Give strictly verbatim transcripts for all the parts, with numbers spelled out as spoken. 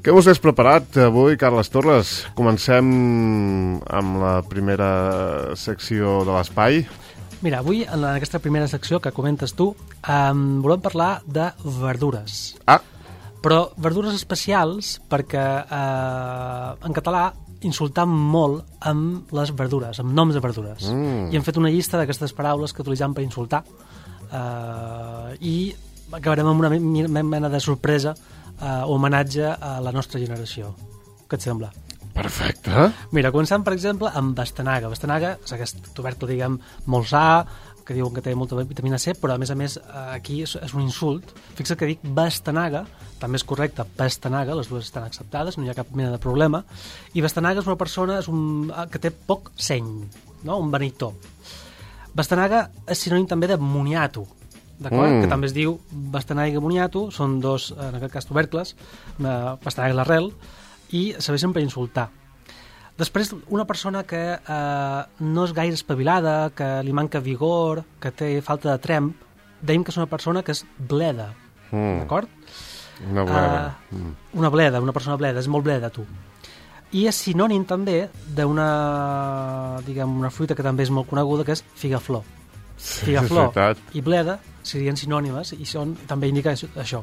Què us has preparat avui, Carles Torres? Comencem amb la primera secció de l'espai. Mira, avui, en aquesta primera secció que comentes tu, um, volem parlar de verdures. Ah! Però verdures especials perquè eh, en català insultam molt amb les verdures, amb noms de verdures. Mm. I hem fet una llista d'aquestes paraules que utilitzem per insultar eh, i acabarem amb una mena de sorpresa eh, o homenatge a la nostra generació. Què et sembla? Perfecte. Mira, començant, per exemple, amb bastanaga. Bastanaga és aquest tubercle, diguem, molt sa, que diuen que té molta vitamina C, però a més a més aquí és, és un insult. Fixa't que dic bastanaga, també és correcte, pastanaga, les dues estan acceptades, no hi ha cap mena de problema, i bastanaga és una persona és un, que té poc seny, no? Un beneitó. Bastanaga és sinònim també de moniato, d'acord? Mm. Que també es diu bastanaga i moniato, són dos, en aquest cas, tubercles, una bastanaga és l'arrel, i serveixen per insultar. Després, una persona que eh, no és gaire espavilada, que li manca vigor, que té falta de tremp, dèiem que és una persona que és bleda, mm. d'acord? Una bleda. Uh, mm. Una bleda, una persona bleda, és molt bleda, tu. I és sinònim també d'una, diguem, una fruita que també és molt coneguda, que és figaflor. Sí, figaflor i bleda serien sinònimes i són, també indica això.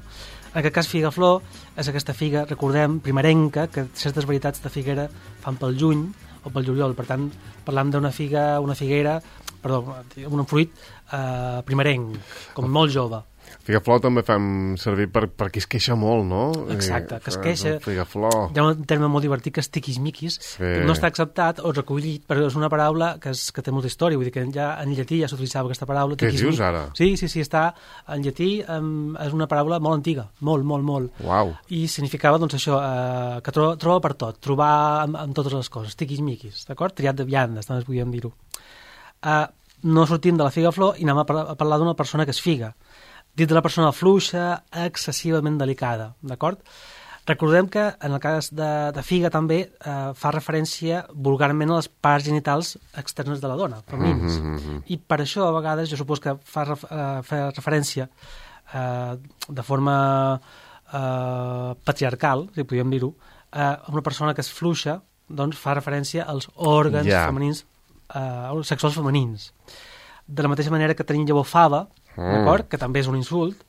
En aquest cas, figaflor és aquesta figa, recordem, primerenca, que certes varietats de figuera fan pel juny o pel juliol. Per tant, parlam d'una figa, una figuera, perdó, un fruit eh, primerenc, com molt jove. Figaflor també fem servir per, per qui es queixa molt, no? Exacte, que es queixa. Figaflor. Hi ha un terme molt divertit que és tiquismiquis, sí. Que no està acceptat o recollit, però és una paraula que, és, que té molta història, vull dir que ja en llatí ja s'utilitzava aquesta paraula. Què dius ara? Sí, sí, sí, està en llatí, um, és una paraula molt antiga, molt, molt, molt. Uau. I significava, doncs, això, uh, que troba, troba per tot, trobar amb, amb totes les coses, tiquismiquis, d'acord? Triat de viandes, també podríem dir-ho. Uh, no sortim de la figaflor i anem a, par a parlar d'una persona que és figa. Dit de la persona fluixa, excessivament delicada, d'acord? Recordem que en el cas de, de figa també eh, fa referència vulgarment a les parts genitals externes de la dona, femenins. Mm -hmm. I per això, a vegades, jo supos que fa, eh, fa referència eh, de forma eh, patriarcal, si podríem dir-ho, eh, a una persona que és fluixa, doncs fa referència als òrgans yeah. femenins, eh, sexuals femenins. De la mateixa manera que tenim llavor fava, d'acord? Que també és un insult,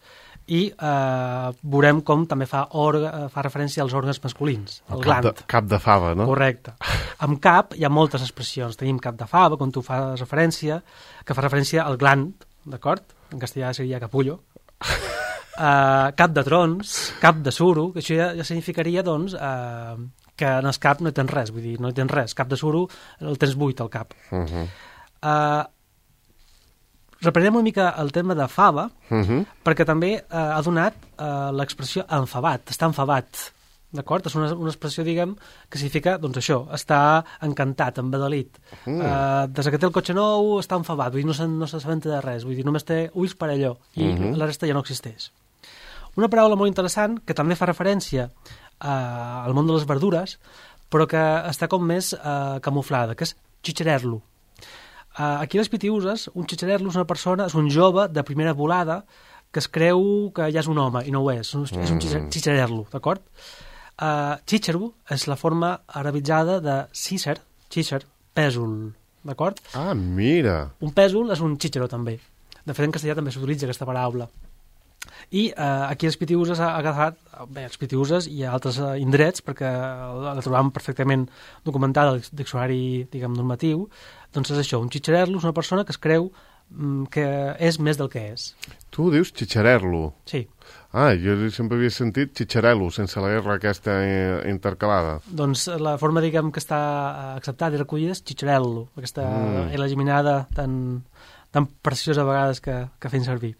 i eh, veurem com també fa, orga, fa referència als òrgans masculins, el, el cap gland. De, cap de fava, no? Correcte. Amb cap hi ha moltes expressions. Tenim cap de fava, com tu fas referència, que fa referència al gland, d'acord? En castellà seria capullo. Uh, cap de trons, cap de suro, que això ja, ja significaria, doncs, uh, que en el cap no hi tens res, vull dir, no hi tens res. Cap de suro el tens buit, al cap. Uh -huh. uh, Reprenem una mica el tema de fava, uh -huh. perquè també eh, ha donat eh, l'expressió enfavat, està enfavat, d'acord? És una, una expressió, diguem, que significa, doncs això, està encantat, embadalit. Uh -huh. eh, des que té el cotxe nou està enfavat, vull dir, no s'assabenta de res, vull dir, només té ulls per allò, i uh -huh. la resta ja no existeix. Una paraula molt interessant, que també fa referència eh, al món de les verdures, però que està com més eh, camuflada, que és xitxarer-lo. Uh, aquí a les Pitiüses, un xitxarer-lo és una persona, és un jove de primera volada que es creu que ja és un home i no ho és, és un, és un xitxarer-lo, d'acord? Uh, xitxaro és la forma arabitzada de cícer, xícer, pèsol, d'acord? Ah, mira! Un pèsol és un xitxaro també. De fet, en castellà també s'utilitza aquesta paraula. I uh, aquí a les Pitiüses ha agafat, bé, les Pitiüses i a altres uh, indrets, perquè la trobam perfectament documentada al diccionari, diguem, normatiu. Doncs és això, un xitxarer-lo és una persona que es creu mm, que és més del que és. Tu dius xitxarer-lo? Sí. Ah, jo sempre havia sentit xitxarel·lo, sense la R aquesta intercalada. Doncs la forma, diguem, que està acceptada i recollida és xitxarel·lo, aquesta mm. L geminada tan, tan preciosa a vegades que, que fem servir.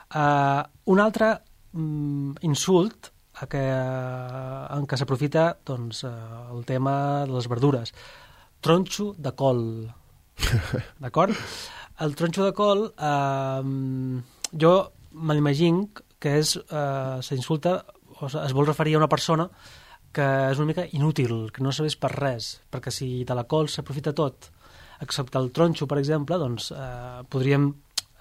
Uh, un altre mm, insult a que, en què s'aprofita, doncs, uh, el tema de les verdures. Tronxo de col. D'acord? El tronxo de col, eh, jo me l'imagino que és, eh, s'insulta, o es vol referir a una persona que és una mica inútil, que no serveix per res, perquè si de la col s'aprofita tot, excepte el tronxo, per exemple, doncs eh, podríem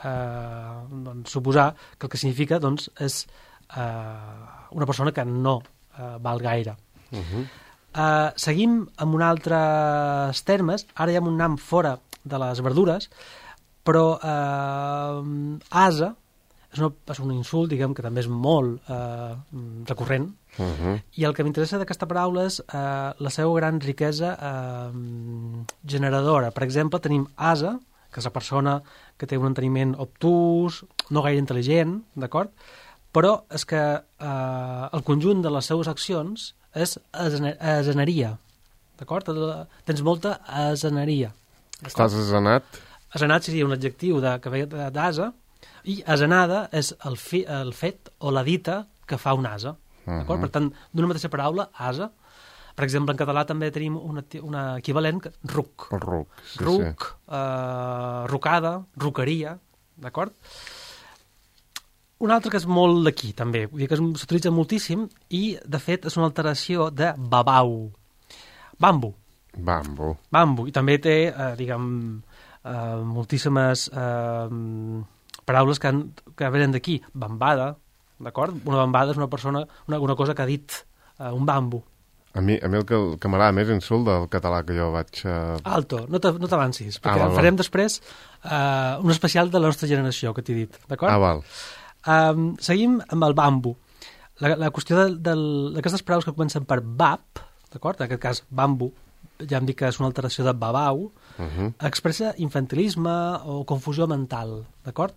eh, doncs, suposar que el que significa doncs, és eh, una persona que no uh, val gaire. Uh -huh. uh, seguim amb un altres termes. Ara ja hem anat fora de les verdures, però uh, ase és, una, és un insult, diguem, que també és molt uh, recurrent, uh -huh. i el que m'interessa d'aquesta paraula és uh, la seva gran riquesa uh, generadora. Per exemple, tenim ase, que és la persona que té un enteniment obtús, no gaire intel·ligent, d'acord? Però és que eh, el conjunt de les seues accions és aseneria, d'acord? Tens molta aseneria. Estàs asenat? Asenat seria un adjectiu de, que ve d'ase, i asenada és el, fi, el fet o la dita que fa un ase, d'acord? Uh -huh. Per tant, d'una mateixa paraula, ase. Per exemple, en català també tenim un equivalent, ruc. El ruc, sí, ruc, sí. Eh, rucada, ruqueria, d'acord? Un altre que és molt d'aquí, també, vull dir que s'utilitza moltíssim i, de fet, és una alteració de babau. Bambu. Bambu. Bambu. I també té, eh, diguem, eh, moltíssimes eh, paraules que, han, que venen d'aquí. Bambada, d'acord? Una bambada és una persona, una, una cosa que ha dit, eh, un bambu. A mi, a mi el que, el que m'agrada més insult del català que jo vaig... Uh... Alto, no t'avancis, perquè ah, val, farem val. després uh, un especial de la nostra generació, que t'he dit, d'acord? Ah, val. Um, seguim amb el bambu. La, la qüestió d'aquestes paraules que comencen per bab, d'acord? En aquest cas, bambu, ja em dic que és una alteració de babau, uh -huh. expressa infantilisme o confusió mental, d'acord?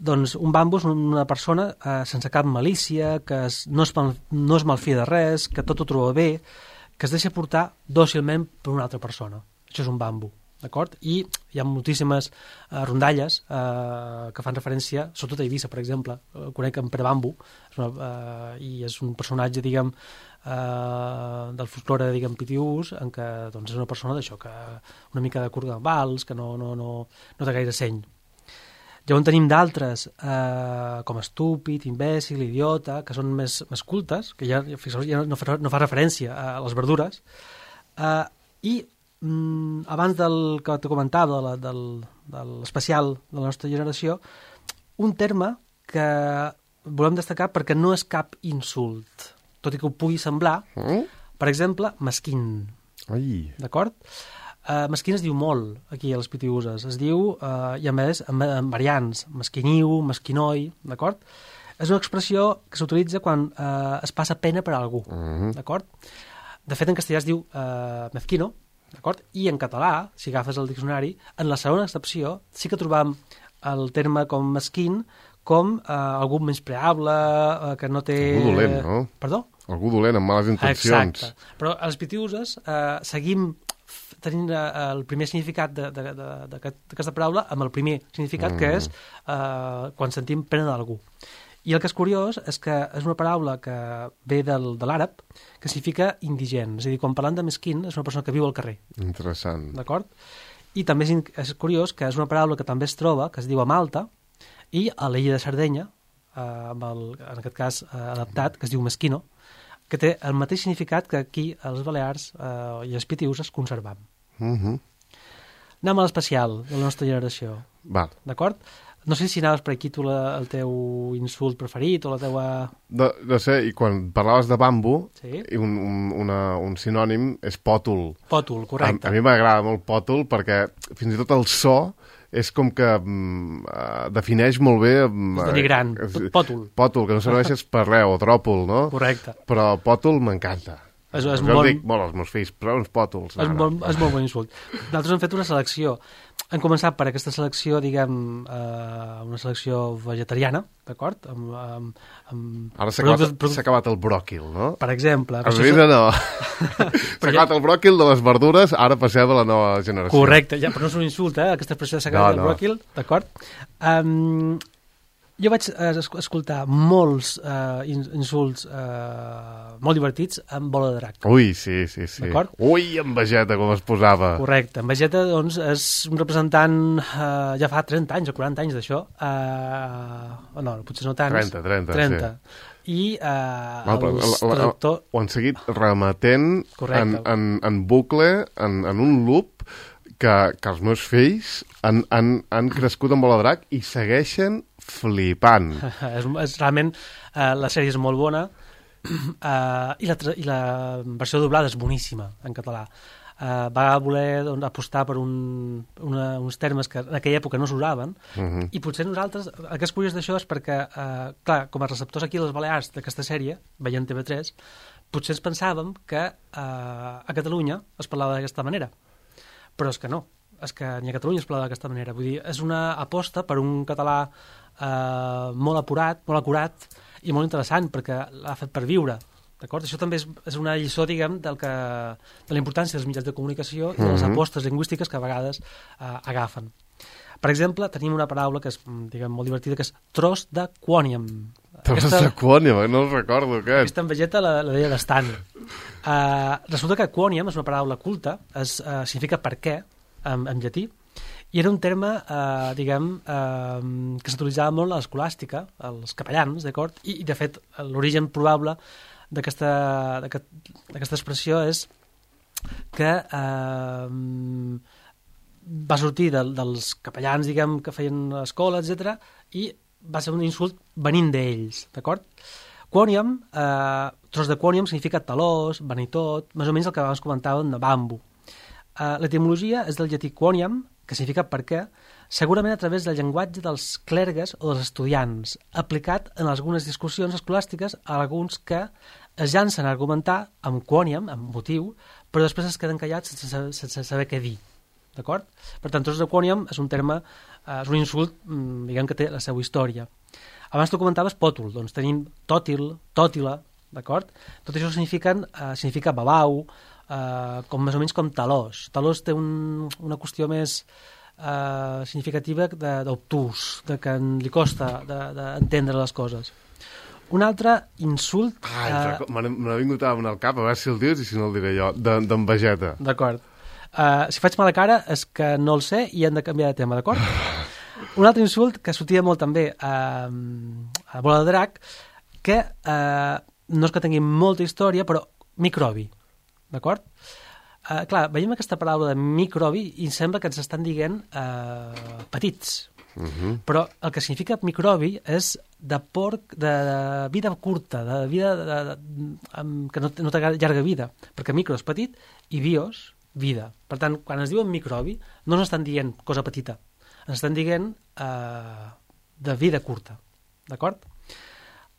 Doncs un bambu és una persona eh, sense cap malícia, que es, no, es mal, no es malfia de res, que tot ho troba bé, que es deixa portar dòcilment per una altra persona. Això és un bambu, d'acord? I hi ha moltíssimes eh, rondalles eh, que fan referència, sobretot a Eivissa, per exemple, eh, conec en Pere Bambu, és una, eh, i és un personatge, diguem, eh, del folklore, diguem, pitiús, en què doncs, és una persona d'això, que una mica de corgambals, que no, no, no, no té gaire seny. Llavors tenim d'altres, eh, com estúpid, imbècil, idiota, que són més, més cultes, que ja, ja no, fa, no fa referència a les verdures. Eh, I mm, abans del que te comentava, de la, del, de l'especial de la nostra generació, un terme que volem destacar perquè no és cap insult, tot i que ho pugui semblar. Mm? Per exemple, mesquín. Ai. D'acord? Uh, mesquín es diu molt aquí a les Pitiüses, es diu, uh, i a més en, en variants, mesquiniu, mesquinoi, d'acord? És una expressió que s'utilitza quan uh, es passa pena per a algú, uh-huh. d'acord? De fet, en castellà es diu uh, mezquino, d'acord? I en català, si agafes el diccionari, en la segona accepció sí que trobam el terme com mesquín com uh, algú menyspreable, uh, que no té... Algú dolent, no? Perdó? Algú dolent, amb males intencions. Exacte. Però a les Pitiüses uh, seguim tenint uh, el primer significat d'aquesta paraula amb el primer significat, mm. que és uh, quan sentim pena d'algú. I el que és curiós és que és una paraula que ve del, de l'àrab, que significa indigent. És a dir, quan parlant de mesquín, és una persona que viu al carrer. Interessant. D'acord? I també és, és curiós que és una paraula que també es troba, que es diu a Malta, i a l'illa de Sardenya, eh, amb el, en aquest cas eh, adaptat, que es diu mesquino, que té el mateix significat que aquí a les Balears eh, i a les Pitiüses conservam. Uh -huh. Anem a l'especial de la nostra generació. Val. D'acord? No sé si anaves per aquí tu la, el teu insult preferit o la teua... No, no sé, i quan parlaves de bambu, sí? un, un, una, un sinònim és pòtol. Pòtol, correcte. A, a mi m'agrada molt pòtol perquè fins i tot el so és com que mm, uh, defineix molt bé... Mm, és denigrant, pòtol. Pòtol, que no serveixes per res, o tròpol, no? Correcte. Però pòtol m'encanta. És, és jo molt... dic molt als meus fills, però uns pòtols. És, molt, és molt bon insult. Nosaltres hem fet una selecció. Hem començat per aquesta selecció, diguem, eh, una selecció vegetariana, d'acord? Amb, amb, amb Ara s'ha acabat, productes... acabat el bròquil, no? Per exemple. A Eivissa no. S'ha acabat el bròquil de les verdures, ara passem a la nova generació. Correcte, ja, però no és un insult, eh? Aquesta expressió de s'ha acabat no, no. el bròquil, d'acord? Um, jo vaig eh, escoltar molts eh, insults eh, molt divertits amb Bola de Drac. Ui, sí, sí, sí. D'acord? Ui, en Vegeta, com es posava. Correcte. En Vegeta, doncs, és un representant eh, ja fa trenta anys o quaranta anys d'això. Eh, no, potser no tants. trenta, trenta, trenta. Sí. I eh, no, els traductors... Ho han seguit remetent en, en, en bucle, en, en un loop, que, que els meus fills han, han, han crescut amb Bola de Drac i segueixen flipant. és, és realment, eh, la sèrie és molt bona Uh, i, la, I la versió doblada és boníssima, en català. Uh, va voler doncs, apostar per un, una, uns termes que en aquella època no s'usaven, uh-huh. i potser nosaltres, el que és curiós d'això és perquè, uh, clar, com a receptors aquí a les Balears d'aquesta sèrie, veient T V tres, potser ens pensàvem que uh, a Catalunya es parlava d'aquesta manera, però és que no, és que ni a Catalunya es parlava d'aquesta manera. Vull dir, és una aposta per un català uh, molt apurat, molt acurat i molt interessant, perquè l'ha fet per viure. D'acord? Això també és, és una lliçó, diguem, del que, de la importància dels mitjans de comunicació i de les apostes lingüístiques que a vegades eh, agafen. Per exemple, tenim una paraula que és, diguem, molt divertida, que és tros de quòniam. Tros de quòniam, no el recordo, aquest. Aquesta en Vegeta la, la deia d'estant. Uh, resulta que quòniam és una paraula culta, es, uh, significa per què, en, en llatí, i era un terme, eh, diguem, eh, que s'utilitzava molt a l'escolàstica, als capellans, d'acord? I, i, de fet, l'origen probable d'aquesta d'aquesta expressió és que eh, va sortir de, dels capellans, diguem, que feien escola, etcètera, i va ser un insult venint d'ells, d'acord? Quòniam, eh, tros de quòniam significa talós, vanitot, més o menys el que abans comentàvem de bambu. Eh, L'etimologia és del llatí quòniam, que significa per què, segurament a través del llenguatge dels clergues o dels estudiants, aplicat en algunes discussions escolàstiques a alguns que es llancen a argumentar amb quòniam, amb motiu, però després es queden callats sense, sense saber què dir. D'acord? Per tant, tros de quòniam és un terme, eh, és un insult, diguem, que té la seva història. Abans tu comentaves pòtul, doncs tenim tòtil, tòtila, d'acord? Tot això signifiquen, eh, significa babau, eh, com més o menys com talós. Talós té un, una qüestió més eh, significativa d'obtús, de, de que li costa d'entendre de, de les coses. Un altre insult... Ah, eh... m'ha vingut al cap, a veure si el dius i si no el diré jo, d'en de, Vegeta. D'acord. Uh, si faig mala cara és que no el sé i hem de canviar de tema, d'acord? Un altre insult que sortia molt també uh, a Bola de Drac, que uh, no és que tingui molta història, però microbi, d'acord? Uh, clar, veiem aquesta paraula de microbi i sembla que ens estan dient uh, petits. Uh-huh. Però el que significa microbi és de porc de, de vida curta, de vida de, de, de, que no, no té llarga vida, perquè micro és petit i bios, vida. Per tant, quan es diuen microbi, no ens estan dient cosa petita, ens estan dient eh, de vida curta, d'acord?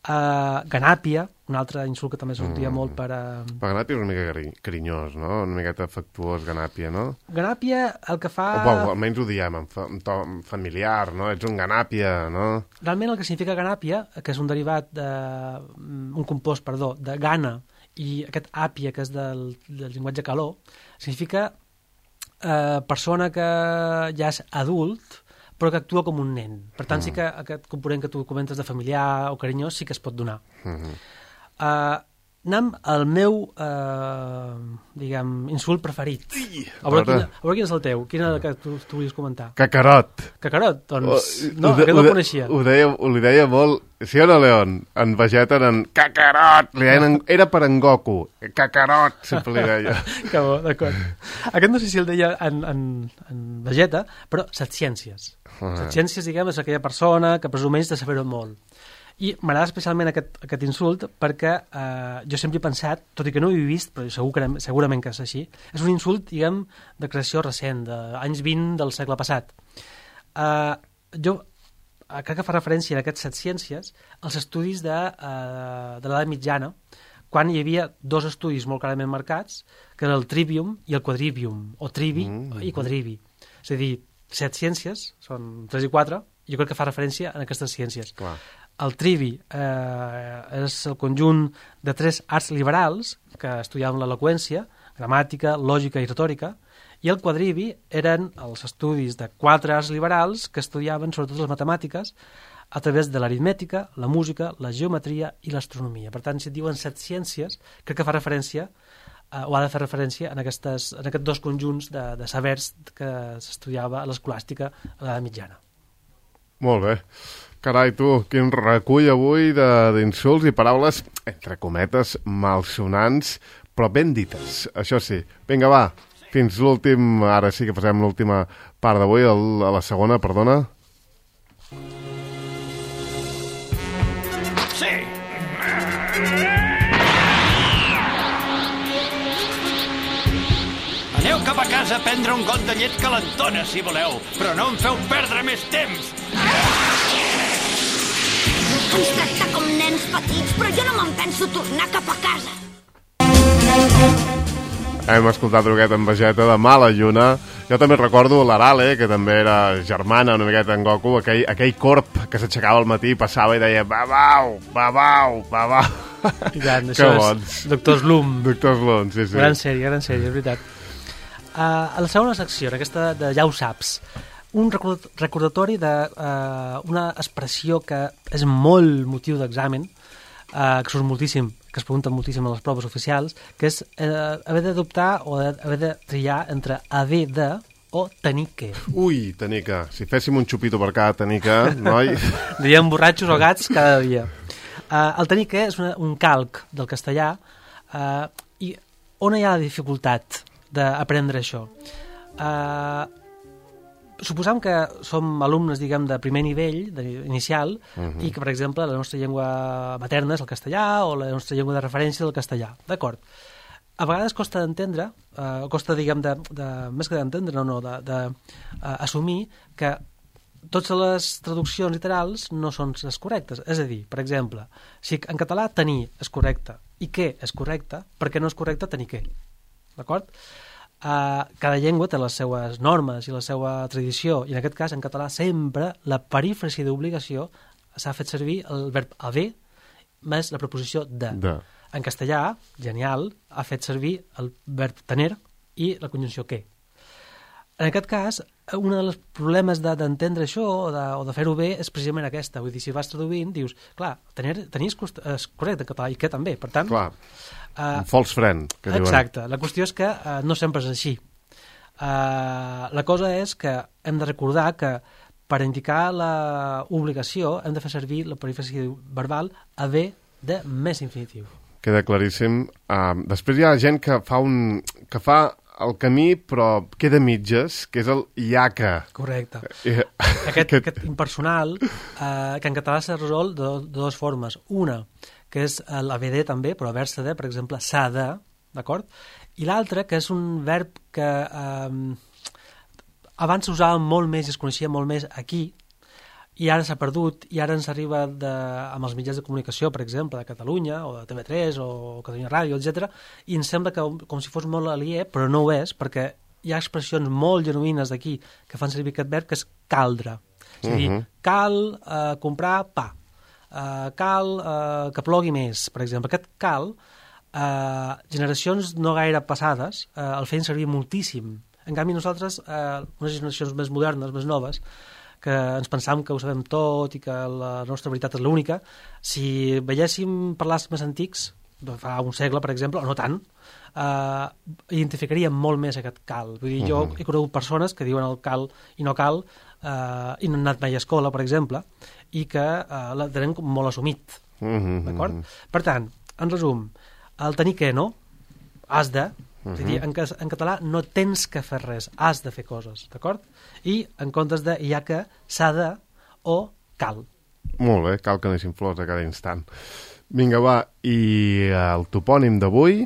Uh, ganàpia, un altre insult que també sortia mm. molt per... Uh... Però ganàpia és una mica cari carinyós, no? Una miqueta afectuós, ganàpia, no? Ganàpia el que fa... O, bueno, almenys ho diem en, fa, en to familiar, no? Ets un ganàpia, no? Realment el que significa ganàpia, que és un derivat de... un compost, perdó, de gana, i aquest àpia, que és del, del llenguatge caló, significa eh, persona que ja és adult, però que actua com un nen. Per tant, mm. sí que aquest component que tu comentes de familiar o carinyós sí que es pot donar. Mm-hmm. uh, anem al meu, uh, diguem, insult preferit. Ui, a, veure quin, a veure quin és el teu. Quin és el que tu, tu volies comentar? Cacarot. Cacarot? Doncs o, no, aquest no el coneixia. Ho, deia, ho li deia molt... Sí o no, León? En Vegeta en Cacarot. Li deien en, era per en Goku. Cacarot, sempre li deia. Que bo, d'acord. Aquest no sé si el deia en, en, en Vegeta, però Setciències. Uh-huh. Setciències, diguem, és aquella persona que presumeix de saber-ho molt. I m'agrada especialment aquest, aquest insult perquè eh, jo sempre he pensat, tot i que no ho he vist, però segur que, segurament que és així, és un insult, diguem, de creació recent, d'anys vint del segle passat. Eh, jo crec que fa referència a aquestes Setciències als estudis de, eh, de l'edat mitjana, quan hi havia dos estudis molt clarament marcats, que era el trivium i el quadrivium, o trivi mm-hmm. i quadrivi. És a dir, set ciències, són tres i quatre, jo crec que fa referència a aquestes ciències. Clar. El trivi eh, és el conjunt de tres arts liberals que estudiaven l'eloqüència, gramàtica, lògica i retòrica, i el quadrivi eren els estudis de quatre arts liberals que estudiaven sobretot les matemàtiques a través de l'aritmètica, la música, la geometria i l'astronomia. Per tant, si et diuen set ciències, crec que fa referència eh, o ha de fer referència en, aquestes, en aquests dos conjunts de, de sabers que s'estudiava a l'escolàstica a l'edat mitjana. Molt bé. Carai, tu, quin recull avui d'insults i paraules, entre cometes, malsonants, però ben dites, això sí. Vinga, va, fins l'últim, ara sí que passem l'última part d'avui, a la segona, perdona. Sí. Aneu cap a casa a prendre un got de llet calentona, si voleu, però no em feu perdre més temps. Ens tracta com nens petits, però jo no me'n penso tornar cap a casa. Hem escoltat Droguet en Vegeta de Mala Lluna. Jo també recordo l'Arale, que també era germana una miqueta en Goku, aquell, aquell corp que s'aixecava al matí, passava i deia babau, babau, babau. I tant, això és Doctor Slum. Doctor Slum, sí, sí. Gran sèrie, gran sèrie, és veritat. Uh, a la segona secció, en aquesta de Ja ho saps, un recordatori d'una uh, expressió que és molt motiu d'examen, uh, que surt moltíssim, que es pregunten moltíssim a les proves oficials, que és uh, haver d'adoptar o haver de triar entre haver de o tenir que. Ui, tenir que. Si féssim un xupito per cada tenir que, noi... Diríem borratxos o gats cada dia. Uh, el tenir que és una, un calc del castellà, uh, i on hi ha la dificultat d'aprendre això? Uh, suposam que som alumnes, diguem, de primer nivell, de, inicial, uh-huh. i que, per exemple, la nostra llengua materna és el castellà o la nostra llengua de referència és el castellà. D'acord. A vegades costa d'entendre, uh, costa, diguem, de, de, més que d'entendre, no, no, d'assumir uh, que totes les traduccions literals no són les correctes. És a dir, per exemple, si en català tenir és correcte i què és correcte, per què no és correcte tenir què? D'acord? Uh, cada llengua té les seues normes i la seva tradició, i en aquest cas, en català, sempre la perífrasi d'obligació s'ha fet servir el verb haver més la preposició de. de. En castellà, genial, ha fet servir el verb tener i la conjunció que. En aquest cas, un dels problemes d'entendre això o de, o de fer-ho bé és precisament aquesta. Vull dir, si vas traduint, dius, clar, tenir, tenir és correcte en català i que també, per tant... Clar. Uh, un false friend, que diuen. Exacte. La qüestió és que uh, no sempre és així. Uh, la cosa és que hem de recordar que per indicar l'obligació hem de fer servir la perífrasi verbal haver de més infinitiu. Queda claríssim. Uh, després hi ha gent que fa, un, que fa el camí però queda mitges, que és el ja que. Correcte. Uh, aquest, aquest impersonal, uh, que en català s'ha resolt de, de dues formes. Una, que és l'haver de també, però haver-se de, per exemple, s'ha de, d'acord? I l'altre, que és un verb que eh, abans s'usava molt més i es coneixia molt més aquí, i ara s'ha perdut, i ara ens arriba de, amb els mitjans de comunicació, per exemple, de Catalunya, o de T V tres, o Catalunya Ràdio, etcètera, i ens sembla que com si fos molt aliè, però no ho és, perquè hi ha expressions molt genuïnes d'aquí que fan servir aquest verb, que és caldre. És a dir, uh-huh. cal eh, comprar pa. Uh, cal uh, que plogui més, per exemple. Aquest cal, uh, generacions no gaire passades, uh, el feien servir moltíssim. En canvi, nosaltres, uh, unes generacions més modernes, més noves, que ens pensam que ho sabem tot i que la nostra veritat és l'única, si veiéssim parlars més antics, fa un segle, per exemple, o no tant, uh, identificaríem molt més aquest cal. Vull dir, jo uh-huh. he conegut persones que diuen el cal i no cal, uh, i no han anat mai a escola, per exemple, i que uh, la tenen molt assumit. Uh-huh. D'acord? Per tant, en resum, el tenir que no, has de, uh-huh. és a dir, en, en català no tens que fer res, has de fer coses, d'acord? I en comptes de hi ha que, s'ha de o cal. Molt bé, cal que neixin flors a cada instant. Vinga, va, i el topònim d'avui...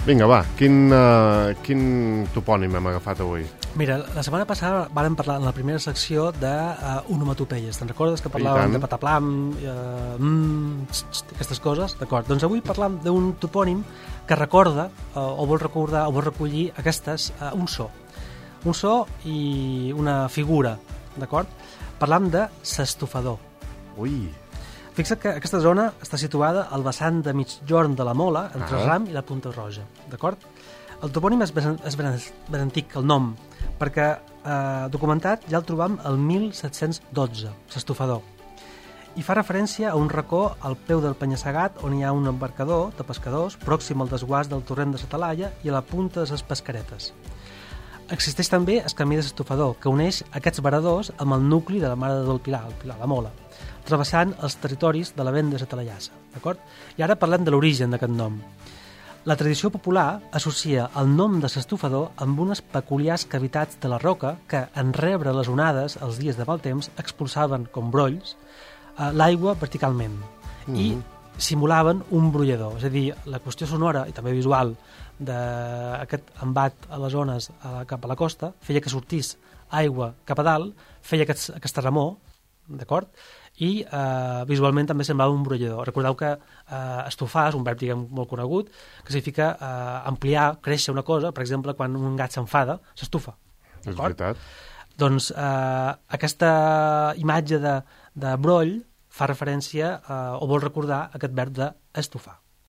Vinga, va, quin, uh, quin topònim hem agafat avui? Mira, la setmana passada vàrem parlar en la primera secció d'onomatopeies. Uh, Te'n recordes que parlàvem de pataplam, uh, mm, txt, txt, aquestes coses? D'acord. Doncs avui parlam d'un topònim que recorda, uh, o vol recordar, o vol recollir aquestes, uh, un so. Un so i una figura, d'acord? Parlam de s'estofador. Ui... Fixa't que aquesta zona està situada al vessant de migjorn de la Mola, entre ah. Ram i la Punta Roja, d'acord? El topònim és ben, és ben, ben antic, el nom, perquè eh, documentat ja el trobam el mil set-cents dotze, s'estofador, i fa referència a un racó al peu del penya-segat on hi ha un embarcador de pescadors pròxim al desguàs del torrent de la Talaia i a la punta de les pescaretes. Existeix també el camí de s'estofador, que uneix aquests varadors amb el nucli de la Mare del Pilar, el Pilar, la Mola, travessant els territoris de la venda de la Talaiassa, d'acord? I ara parlem de l'origen d'aquest nom. La tradició popular associa el nom de l'estufador amb unes peculiars cavitats de la roca que, en rebre les onades els dies de mal temps, expulsaven, com brolls, eh, l'aigua verticalment mm. i simulaven un brollador. És a dir, la qüestió sonora i també visual d'aquest embat a les ones a, cap a la costa feia que sortís aigua cap a dalt, feia aquest, aquesta remor, d'acord? I eh, visualment també semblava un brollador. Recordeu que eh, estufar és un verb, diguem, molt conegut, que significa eh, ampliar, créixer una cosa. Per exemple, quan un gat s'enfada, s'estufa. És veritat. Doncs eh, aquesta imatge de, de broll fa referència eh, o vol recordar aquest verb d'estufar.